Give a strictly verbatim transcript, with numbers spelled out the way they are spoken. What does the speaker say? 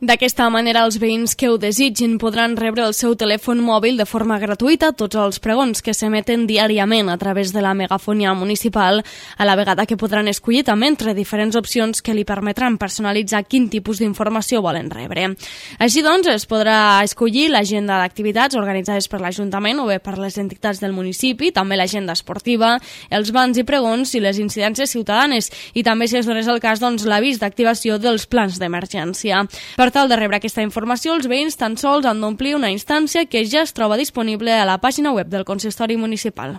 D'aquesta manera, els veïns que ho desitgin podran rebre el seu telèfon mòbil de forma gratuïta tots els pregons que s'emeten diàriament a través de la megafonia municipal, a la vegada que podran escollir també entre diferents opcions que li permetran personalitzar quin tipus d'informació volen rebre. Així doncs, es podrà escollir l'agenda d'activitats organitzades per l'Ajuntament o bé per les entitats del municipi, també l'agenda esportiva, els bans i pregons i les incidències ciutadanes, i també, si es donés el cas, doncs, l'avís d'activació dels plans d'emergència. Per tal de rebre aquesta informació, els veïns tan sols han d'omplir una instància que ja es troba disponible a la pàgina web del consistori municipal.